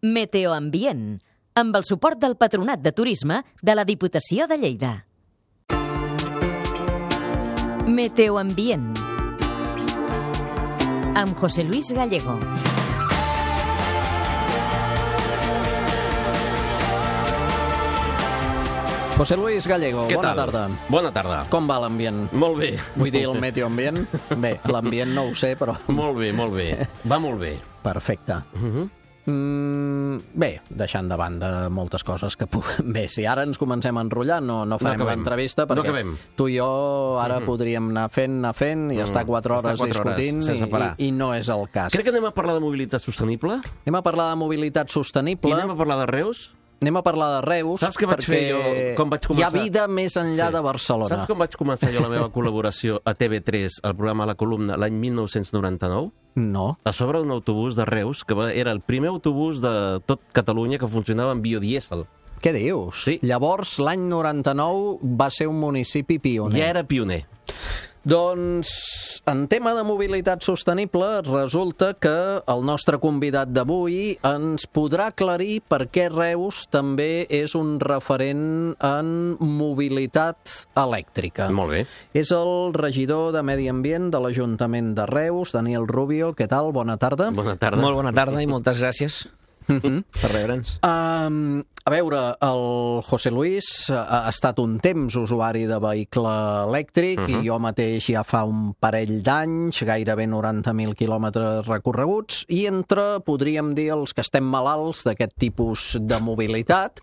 Meteoambient, amb el suport del Patronat de Turisme de la Diputació de Lleida. Meteoambient, amb José Luis Gallego. José Luis Gallego, bona tarda. Bona tarda. Com va l'ambient? Molt bé. Vull dir, el meteoambient? Bé, l'ambient no ho sé, però... Molt bé, molt bé. Va molt bé. Perfecte. Bé, deixant de banda moltes coses que... Bé, si ara ens comencem a enrotllar, no farem l'entrevista, perquè tu i jo ara podríem anar fent i estar 4 hores discutint i no és el cas. Crec que anem a parlar de mobilitat sostenible. Anem a parlar de mobilitat sostenible. I anem a parlar de Reus. Anem a parlar de Reus. Saps què vaig fer jo? Com vaig començar? Hi ha vida més enllà de Barcelona. Saps com vaig començar jo la meva col·laboració a TV3, al programa La Columna, l'any 1999? No. A sobre d'un autobús de Reus, que era el primer autobús de tot Catalunya que funcionava amb biodièsel. Què dius? Sí. Llavors, l'any 99 va ser un municipi pioner. Ja era pioner. Doncs, en tema de mobilitat sostenible, resulta que el nostre convidat d'avui ens podrà aclarir per què Reus també és un referent en mobilitat elèctrica. Molt bé. És el regidor de Medi Ambient de l'Ajuntament de Reus, Daniel Rubio. Què tal? Bona tarda. Bona tarda. Molt bona tarda i moltes gràcies per rebre'ns. A veure, el José Luis ha estat un temps usuari de vehicle elèctric i jo mateix ja fa un parell d'anys, gairebé 90.000 quilòmetres recorreguts, i entre, podríem dir, els que estem malalts d'aquest tipus de mobilitat,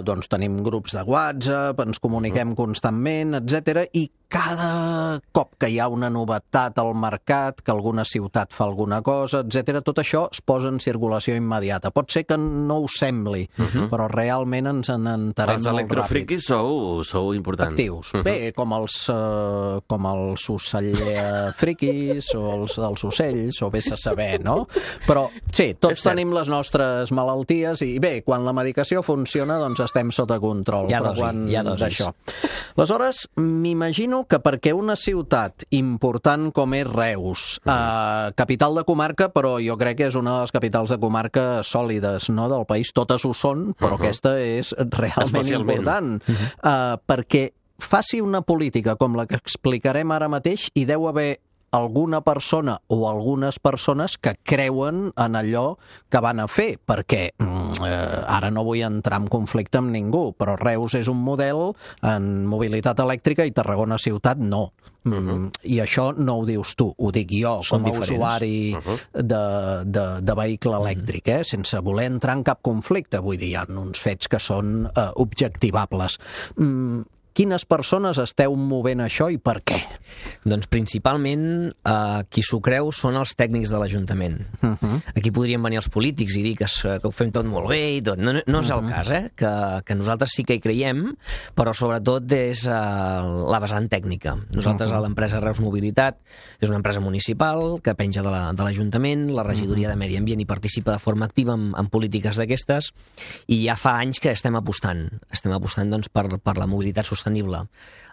doncs tenim grups de WhatsApp, ens comuniquem constantment, etc. I cada cop que hi ha una novetat al mercat, que alguna ciutat fa alguna cosa, etc., tot això es posa en circulació immediata. Pot ser que no ho sembli, però realment ens en enterem molt ràpid. Els electrofriquis sou importants. Actius. Bé, com els ocellfriquis o els dels ocells, o vés a saber, no? Però sí, tots tenim les nostres malalties i bé, quan la medicació funciona, doncs estem sota control. Hi ha dosis. Aleshores, m'imagino que perquè una ciutat important com és Reus, capital de comarca, però jo crec que és una de les capitals de comarca sòlides, no?, del país. Totes ho són, però aquesta és realment important. Perquè faci una política com la que explicarem ara mateix, hi deu haver alguna persona o algunes persones que creuen en allò que van a fer, perquè ara no vull entrar en conflicte amb ningú, però Reus és un model en mobilitat elèctrica i Tarragona ciutat no. I això no ho dius tu, ho dic jo, com a usuari de vehicle elèctric, sense voler entrar en cap conflicte. Vull dir, hi ha uns fets que són objectivables. Quines persones esteu movent això i per què? Doncs principalment qui s'ho creu són els tècnics de l'Ajuntament. Aquí podrien venir els polítics i dir que ho fem tot molt bé i tot. No és el cas, que nosaltres sí que hi creiem, però sobretot és la vessant tècnica. Nosaltres, a l'empresa Reus Mobilitat, és una empresa municipal que penja de l'Ajuntament, la regidoria de Medi Ambient hi participa de forma activa en polítiques d'aquestes, i ja fa anys que estem apostant. Estem apostant doncs, per la mobilitat sostenible.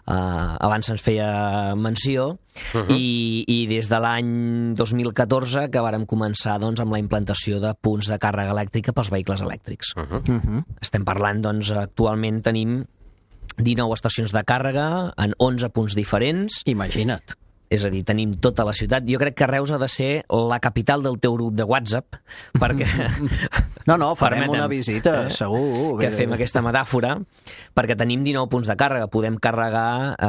Abans se'ns feia menció i des de l'any 2014 que vàrem començar doncs, amb la implantació de punts de càrrega elèctrica pels vehicles elèctrics. Estem parlant, doncs, actualment tenim 19 estacions de càrrega en 11 punts diferents. Imagina't. És a dir, tenim tota la ciutat. Jo crec que Reus ha de ser la capital del teu grup de WhatsApp, perquè... No, farem una visita, segur. Que fem aquesta metàfora, perquè tenim 19 punts de càrrega. Podem carregar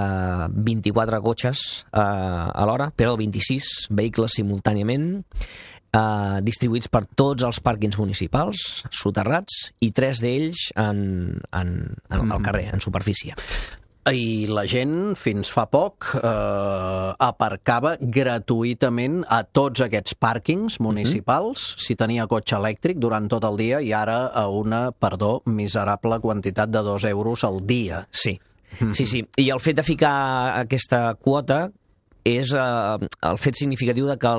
24 cotxes a l'hora, però 26 vehicles simultàniament, distribuïts per tots els pàrquings municipals, soterrats, i 3 d'ells al carrer, en superfície. I la gent, fins fa poc, aparcava gratuïtament a tots aquests pàrquings municipals, si tenia cotxe elèctric, durant tot el dia, i ara a una, miserable quantitat de 2 euros al dia. Sí. I el fet de ficar aquesta quota és el fet significatiu de que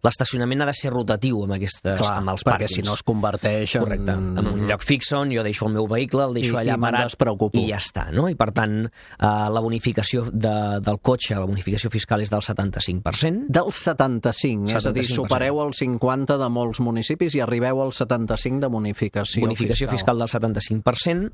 l'estacionament ha de ser rotatiu amb els pàrquings. Perquè si no es converteix Correcte. En un lloc fix on jo deixo el meu vehicle, el deixo allà parat i ja està, no? I per tant, la bonificació del cotxe, la bonificació fiscal és del 75%. Del 75%, és a dir, supereu el 50% de molts municipis i arribeu al 75% de bonificació fiscal del 75%.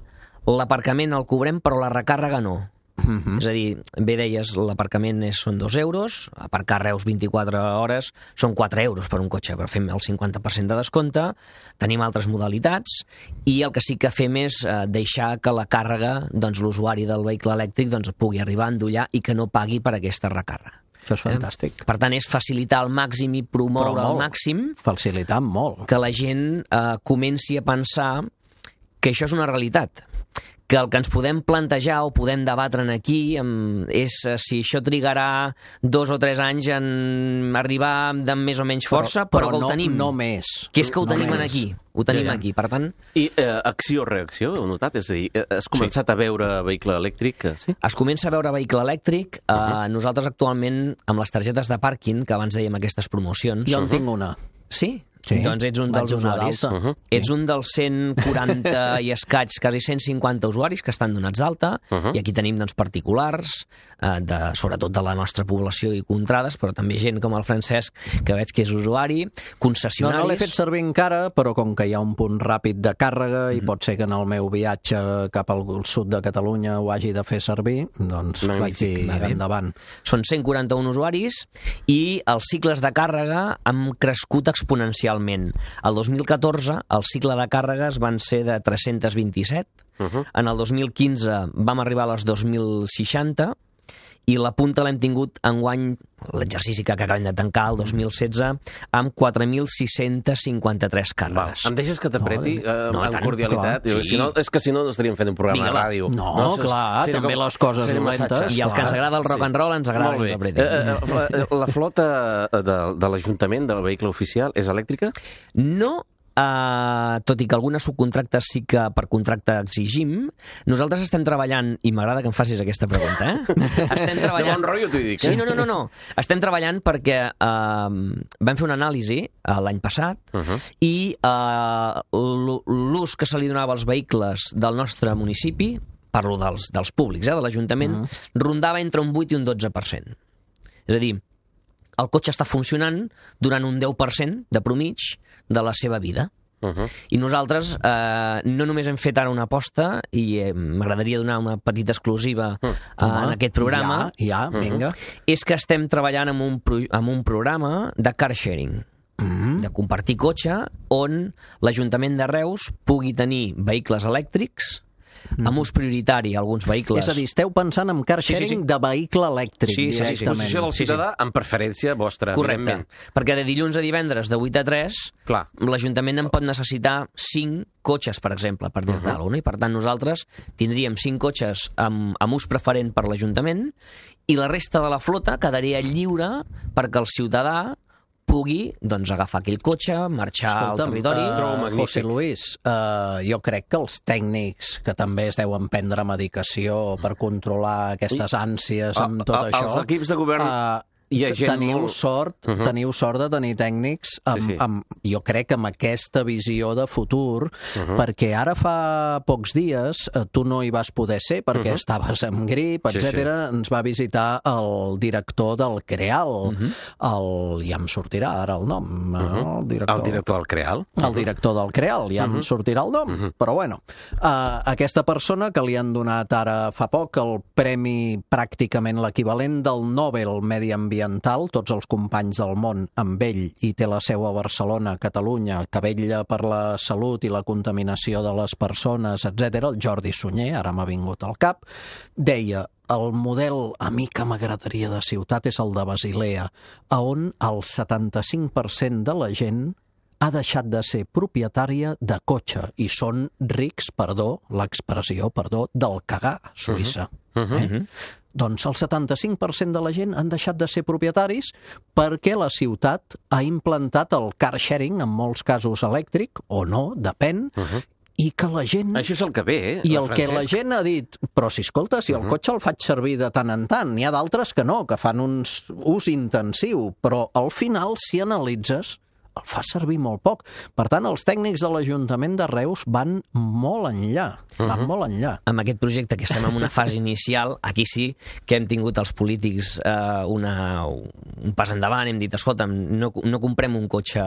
L'aparcament el cobrem, però la recàrrega no. És a dir, bé deies, l'aparcament són 2 euros, aparcar a Reus 24 hores són 4 euros per un cotxe, però fem el 50% de descompte, tenim altres modalitats, i el que sí que fem és deixar que la càrrega, doncs l'usuari del vehicle elèctric pugui arribar a endollar i que no pagui per aquesta recàrrega. Això és fantàstic. Per tant, és facilitar al màxim i promoure al màxim facilitar molt que la gent comenci a pensar que això és una realitat, que el que ens podem plantejar o podem debatre aquí és si això trigarà 2 o 3 anys en arribar amb més o menys força, però que ho tenim. No més. Que és que ho tenim aquí. Ho tenim aquí, per tant... I acció-reacció, heu notat? És a dir, has començat a veure vehicle elèctric? Sí? Es comença a veure vehicle elèctric. Nosaltres actualment, amb les targetes de pàrquing, que abans dèiem aquestes promocions... Jo en tinc una. Sí? Doncs ets un dels usuaris. Ets un dels 140 i escaig, quasi 150 usuaris que estan donats d'alta, i aquí tenim particulars, sobretot de la nostra població i contrades, però també gent com el Francesc, que veig que és usuari, concessionaris... No l'he fet servir encara, però com que hi ha un punt ràpid de càrrega i pot ser que en el meu viatge cap al sud de Catalunya ho hagi de fer servir, doncs vaig dir endavant. Són 141 usuaris i els cicles de càrrega han crescut exponencialment. El 2014 el cicle de càrregues van ser de 327, en el 2015 vam arribar a les 2.060 i la punta l'hem tingut enguany, l'exercici que acabem de tancar, el 2016, amb 4.653 càrregues. Em deixes que t'apreti amb cordialitat? És que si no estaríem fent un programa de ràdio. No, clar, també les coses dolentes. I el que ens agrada el rock and roll ens agrada que ens apretin. La flota de l'Ajuntament, del vehicle oficial, és elèctrica? No, tot i que algunes subcontractes sí que per contracte exigim. Nosaltres estem treballant, i m'agrada que em facis aquesta pregunta, estem treballant... De bon rotllo t'ho dic, Sí, no. Estem treballant perquè vam fer una anàlisi l'any passat i l'ús que se li donava als vehicles del nostre municipi, parlo dels públics, de l'Ajuntament, rondava entre un 8 i un 12%. És a dir, el cotxe està funcionant durant un 10% de promig de la seva vida. I nosaltres no només hem fet ara una aposta, i m'agradaria donar una petita exclusiva en aquest programa, vinga. És que estem treballant amb un programa de car sharing, de compartir cotxe, on l'Ajuntament de Reus pugui tenir vehicles elèctrics amb ús prioritari a alguns vehicles. És a dir, esteu pensant en car sharing de vehicle elèctric directament. Sí. Disposició del ciutadà amb preferència vostra. Correcte. Perquè de dilluns a divendres de 8 a 3 l'Ajuntament en pot necessitar 5 cotxes, per exemple, per dir-te alguna cosa. I per tant nosaltres tindríem 5 cotxes amb ús preferent per l'Ajuntament i la resta de la flota quedaria lliure perquè el ciutadà pugui agafar aquell cotxe, marxar al territori. José Luis, jo crec que els tècnics que també es deuen prendre medicació per controlar aquestes ànsies amb tot això... Els equips de govern... Teniu sort de tenir tècnics jo crec amb aquesta visió de futur, perquè ara fa pocs dies tu no hi vas poder ser perquè estaves amb grip, etc. Ens va visitar el director del CREAL, ja em sortirà ara el nom, el director del CREAL? El director del CREAL, ja em sortirà el nom, però bueno, aquesta persona que li han donat ara fa poc el premi, pràcticament l'equivalent del Nobel Mediambiental, tots els companys del món amb ell, i té la seu a Barcelona, Catalunya, que vetlla per la salut i la contaminació de les persones, etc. El Jordi Sunyer, ara m'ha vingut al cap, deia: el model a mi que m'agradaria de ciutat és el de Basilea, on el 75% de la gent ha deixat de ser propietària de cotxe i són rics, l'expressió, del cagar, Suïssa. Doncs el 75% de la gent han deixat de ser propietaris perquè la ciutat ha implantat el car sharing, en molts casos elèctric, o no, depèn, i que la gent... Això és el que ve, I el que la gent ha dit, però si escolta, si el cotxe el faig servir de tant en tant, n'hi ha d'altres que no, que fan un ús intensiu, però al final, si analitzes, el fa servir molt poc. Per tant, els tècnics de l'Ajuntament de Reus van molt enllà, molt enllà. Amb aquest projecte, que estem en una fase inicial, aquí sí que hem tingut els polítics un pas endavant, hem dit, escolta'm, no comprem un cotxe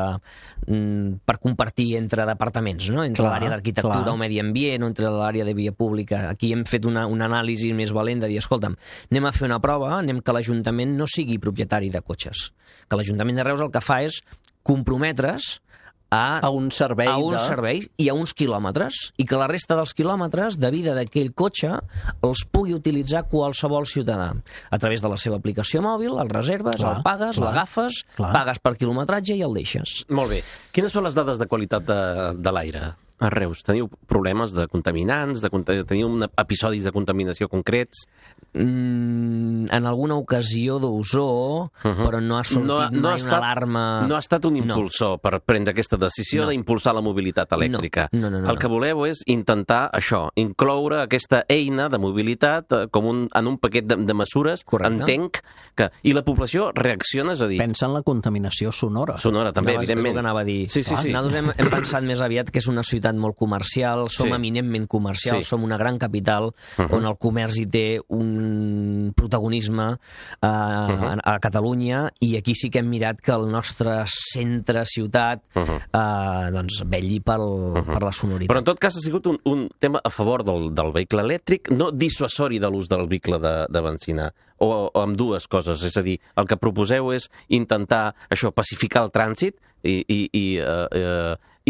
per compartir entre departaments, no? Entre l'àrea d'arquitectura o medi ambient o entre l'àrea de via pública. Aquí hem fet una anàlisi més valent de dir, escolta'm, anem a fer una prova, anem que l'Ajuntament no sigui propietari de cotxes. Que l'Ajuntament de Reus el que fa és comprometre's a un servei i a uns quilòmetres, i que la resta dels quilòmetres de vida d'aquell cotxe els pugui utilitzar qualsevol ciutadà a través de la seva aplicació mòbil, el reserves, el pagues, l'agafes, pagues per quilometratge i el deixes. Molt bé. Quines són les dades de qualitat de l'aire a Reus? Teniu problemes de contaminants? Teniu episodis de contaminació concrets? En alguna ocasió d'ozó, però no ha sortit mai una alarma... No ha estat un impulsor per prendre aquesta decisió d'impulsar la mobilitat elèctrica. No. El que voleu és intentar això, incloure aquesta eina de mobilitat en un paquet de mesures, entenc, i la població reacciona, és a dir... Pensa en la contaminació sonora. Sonora, també, evidentment. És el que anava a dir. Sí. Nosaltres hem pensat més aviat que és una ciutat molt comercial, som eminentment comercials, som una gran capital on el comerç hi té un protagonisme a Catalunya, i aquí sí que hem mirat que el nostre centre-ciutat vetlli per la sonoritat. Però en tot cas ha sigut un tema a favor del vehicle elèctric, no dissuasori de l'ús del vehicle de benzina, o amb dues coses, és a dir, el que proposeu és intentar això, pacificar el trànsit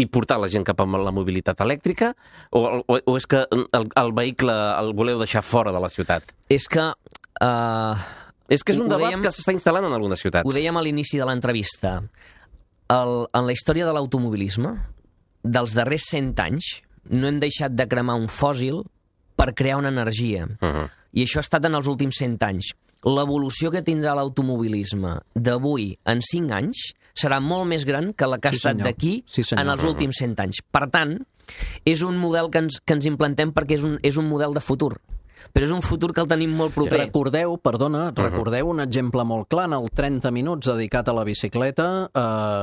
i portar la gent cap a la mobilitat elèctrica, o és que el vehicle el voleu deixar fora de la ciutat? És que... És que és un debat que s'està instal·lant en algunes ciutats. Ho dèiem a l'inici de l'entrevista. En la història de l'automobilisme, dels darrers 100 anys, no hem deixat de cremar un fòssil per crear una energia. I això ha estat en els últims 100 anys. L'evolució que tindrà l'automobilisme d'avui en 5 anys serà molt més gran que la que ha estat d'aquí en els últims 100 anys. Per tant, és un model que ens implantem perquè és un model de futur. Però és un futur que el tenim molt proper. Recordeu un exemple molt clar en el 30 minuts dedicat a la bicicleta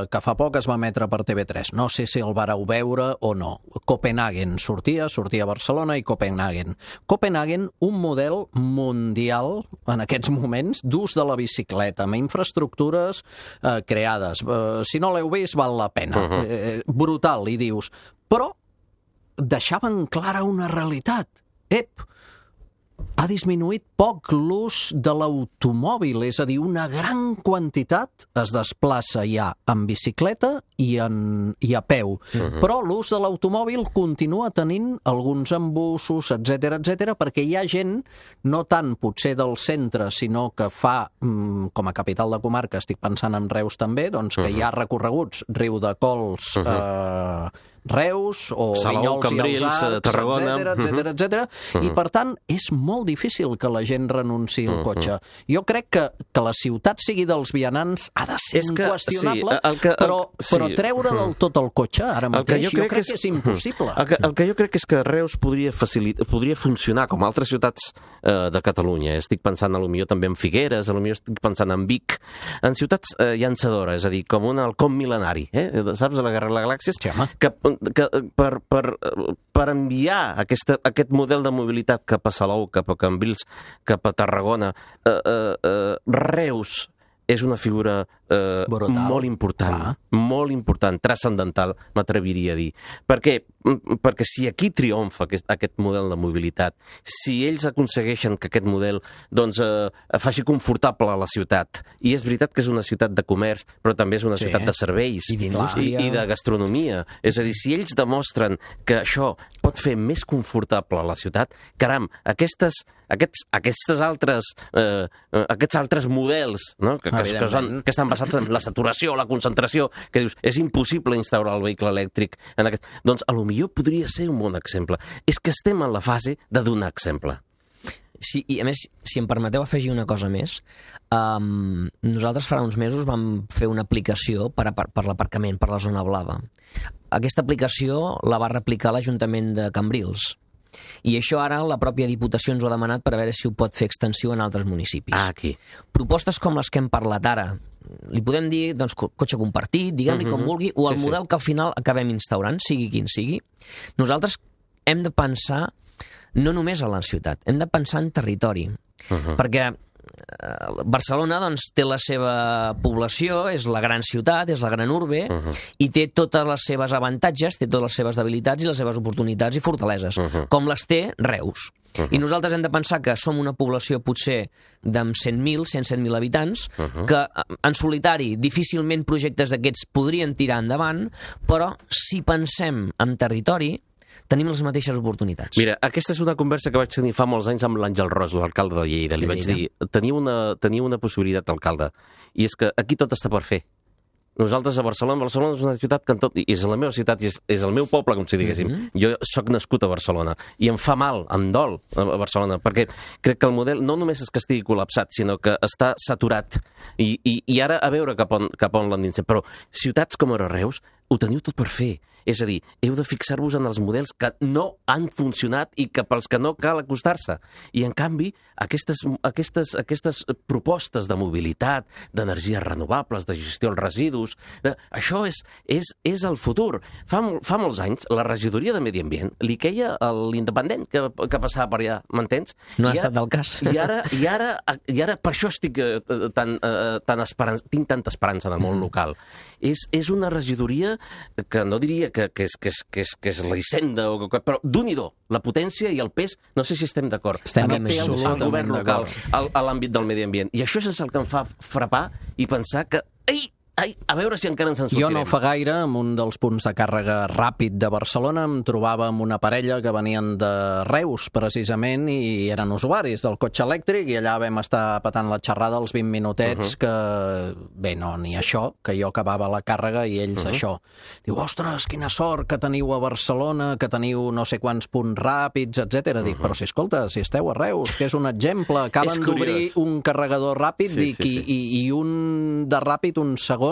que fa poc es va emetre per TV3. No sé si el vareu veure o no. Copenhagen sortia a Barcelona i Copenhagen. Copenhagen, un model mundial en aquests moments d'ús de la bicicleta, amb infraestructures creades. Si no l'heu vist, val la pena. Brutal, i dius. Però deixaven clara una realitat. Ha disminuït poc l'ús de l'automòbil, és a dir, una gran quantitat es desplaça ja en bicicleta i a peu. Però l'ús de l'automòbil continua tenint alguns embussos, etc, perquè hi ha gent, no tant potser del centre, sinó que fa, com a capital de comarca, estic pensant en Reus també, doncs que hi ha recorreguts, Riudecols, Reus o Salou, Vinyols i els Arcs, Tarragona, etc. I per tant és molt difícil que la gent renunciï al cotxe. Jo crec que la ciutat sigui dels vianants ha de ser inqüestionable, però treure del tot el cotxe ara mateix jo crec que és impossible. El que jo crec és que Reus podria funcionar com altres ciutats de Catalunya. Estic pensant potser també en Figueres, potser estic pensant en Vic, en ciutats llançadores, és a dir, com un halcón mil·lenari, saps, a la Guerra de les Galàxies, que per enviar aquest model de mobilitat cap a Salou, cap a Cambrils, cap a Tarragona, Reus és una figura molt important, transcendental, m'atreviria a dir. Perquè si aquí triomfa aquest model de mobilitat, si ells aconsegueixen que aquest model faci confortable a la ciutat, i és veritat que és una ciutat de comerç, però també és una ciutat de serveis i de gastronomia, és a dir, si ells demostren que això pot fer més confortable a la ciutat, caram, aquests altres models, no? que estan basats en la saturació, la concentració, que dius, és impossible instaurar el vehicle elèctric en aquest... Doncs potser podria ser un bon exemple. És que estem en la fase de donar exemple. Sí, i a més, si em permeteu afegir una cosa més, nosaltres farà uns mesos vam fer una aplicació per l'aparcament, per la zona blava. aquesta aplicació la va replicar l'Ajuntament de Cambrils. I això ara la pròpia Diputació ens ho ha demanat per a veure si ho pot fer extensiu en altres municipis. Aquí. Propostes com les que hem parlat ara, li podem dir doncs, cotxe compartit, diguem-li com vulgui, o el model que al final acabem instaurant, sigui quin sigui. Nosaltres hem de pensar no només a la ciutat, hem de pensar en territori, perquè Barcelona doncs, té la seva població, és la gran ciutat, és la gran urbe, i té totes les seves avantatges, té totes les seves debilitats i les seves oportunitats i fortaleses, com les té Reus. I nosaltres hem de pensar que som una població potser d'amb 100.000, 107.000 habitants, que en solitari difícilment projectes d'aquests podrien tirar endavant, però si pensem en territori, tenim les mateixes oportunitats. Mira, aquesta és una conversa que vaig tenir fa molts anys amb l'Àngel Ros, l'alcalde de Lleida. Li vaig dir, teniu una possibilitat, alcalde, i és que aquí tot està per fer. Nosaltres a Barcelona és una ciutat que és la meva ciutat, és el meu poble, com si diguéssim. Jo sóc nascut a Barcelona i em fa mal, em dol a Barcelona, perquè crec que el model no només és que estigui col·lapsat, sinó que està saturat. I ara a veure cap on l'endinsem. Però ciutats com ara Reus ho teniu tot per fer. És a dir, heu de fixar-vos en els models que no han funcionat i que pels que no cal acostar-se. I, en canvi, aquestes propostes de mobilitat, d'energies renovables, de gestió dels residus, això és el futur. Fa molts anys, la regidoria de Medi Ambient li queia a l'independent que passava per allà, m'entens? No ha estat del cas. I ara per això estic tinc tanta esperança en el món local. És una regidoria que no diria que és la Hisenda, però d'un-i-do, la potència i el pes, no sé si estem d'acord. Estem el govern local a l'àmbit del medi ambient. I això és el que em fa frapar i pensar que... a veure si encara ens en sortirem. Jo no fa gaire, en un dels punts de càrrega ràpid de Barcelona, em trobava amb una parella que venien de Reus, precisament, i eren usuaris del cotxe elèctric, i allà vam estar patant la xerrada els 20 minutets que, bé, no, ni això, que jo acabava la càrrega i ells això. Diu, ostres, quina sort que teniu a Barcelona, que teniu no sé quants punts ràpids, etc. Dic, però si escolta, si esteu a Reus, que és un exemple, acaben d'obrir un carregador ràpid, i un de ràpid, un segon,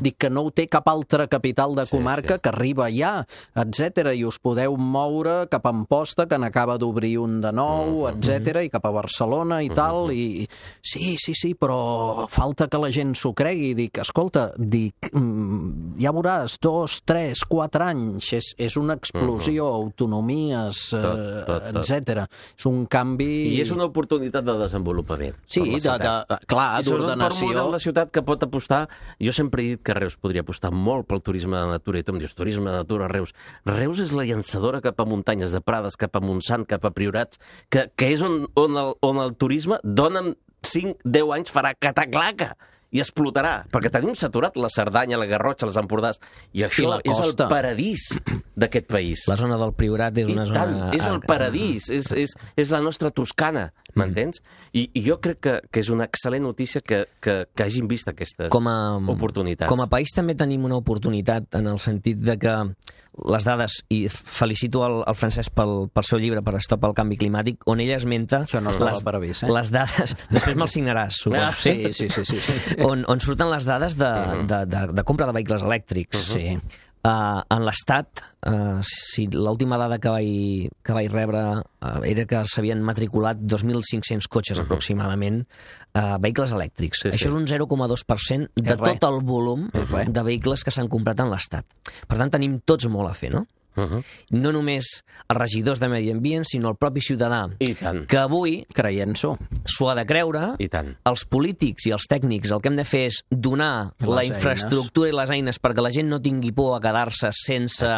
dic que no ho té cap altra capital de comarca que arriba ja, etc. I us podeu moure cap a Amposta, que n'acaba d'obrir un de nou, etc. I cap a Barcelona i tal, i sí, però falta que la gent s'ho cregui. Dic, escolta, ja veuràs, 2, 3, 4 anys, és una explosió, autonomies, etc. És un canvi... I és una oportunitat de desenvolupament. Sí, clar, d'ordenació. És una ciutat que pot apostar... Jo sempre he dit que Reus podria apostar molt pel turisme de natura, i tu em dius, turisme de natura a Reus. Reus és la llançadora cap a muntanyes de Prades, cap a Montsant, cap a Priorats, que és on el turisme dona'm 5-10 anys farà cataclaca i explotarà, perquè tenim saturat la Cerdanya, la Garrotxa, les Empordàs, i això és el paradís d'aquest país. La zona del Priorat és una zona... És el paradís, és la nostra Toscana, m'entens? I jo crec que és una excel·lent notícia que hagin vist aquestes oportunitats. Com a país també tenim una oportunitat en el sentit de que les dades, i felicito el Francesc pel seu llibre, per Stop al canvi climàtic, on ella esmenta... Això no estava previst, les dades... Després me'l signaràs, suposo. Sí. On surten les dades de compra de vehicles elèctrics. Sí. En l'Estat, si l'última dada que vaig rebre era que s'havien matriculat 2.500 cotxes aproximadament, vehicles elèctrics. Això és un 0,2% de tot el volum de vehicles que s'han comprat en l'Estat. Per tant, tenim tots molt a fer, no? No només els regidors de Medi Ambient, sinó el propi ciutadà, que avui creient-s'ho s'ho ha de creure. Els polítics i els tècnics el que hem de fer és donar la infraestructura i les eines perquè la gent no tingui por a quedar-se sense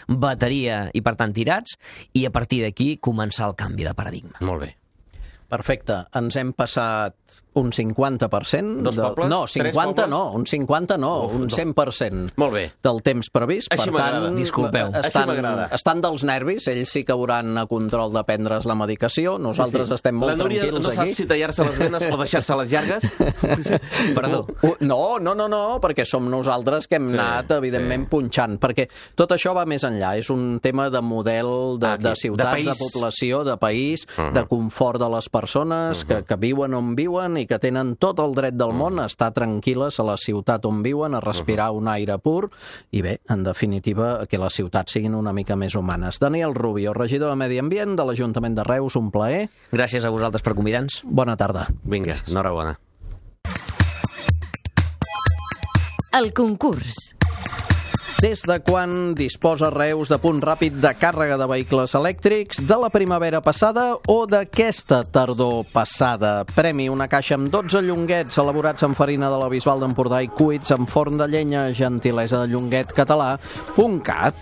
bateria i, per tant, tirats, i a partir d'aquí començar el canvi de paradigma. Molt bé. Perfecte. Ens hem passat un 50%... Dos pobles? No, 50 no, un 50 no, un 100% molt bé. Del temps previst. Així m'agrada. Disculpeu. Estan dels nervis, ells sí que hauran a control de prendre's la medicació, nosaltres estem molt tranquils aquí. La Núria no sap si tallar-se les venes o deixar-se les llargues? Perdó. No, perquè som nosaltres que hem anat, evidentment, punxant, perquè tot això va més enllà, és un tema de model de ciutats, de població, de país, de confort de les persones que viuen on viuen i i que tenen tot el dret del món a estar tranquil·les a la ciutat on viuen, a respirar un aire pur i bé, en definitiva, que les ciutats siguin una mica més humanes. Daniel Rubio, regidor de Medi Ambient de l'Ajuntament de Reus, un plaer. Gràcies a vosaltres per convidar-nos. Bona tarda. Vinga, enhorabona. El concurs. Des de quan disposa Reus de punt ràpid de càrrega de vehicles elèctrics? De la primavera passada o d'aquesta tardor passada? Premi: una caixa amb 12 llonguets elaborats amb farina de la Bisbal d'Empordà i cuits amb forn de llenya, gentilesa de llonguetcatalà.cat.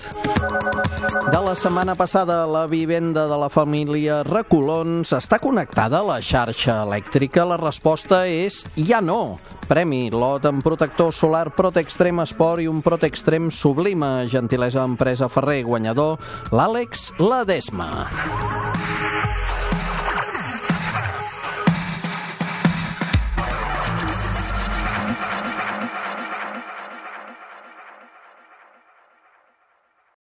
De la setmana passada, la vivenda de la família Recolons està connectada a la xarxa elèctrica? La resposta és ja no. Premi: lot amb protector solar Protextrem Esport i un Protextrem Sublima, gentilesa empresa Ferrer. Guanyador, l'Àlex Ledesma.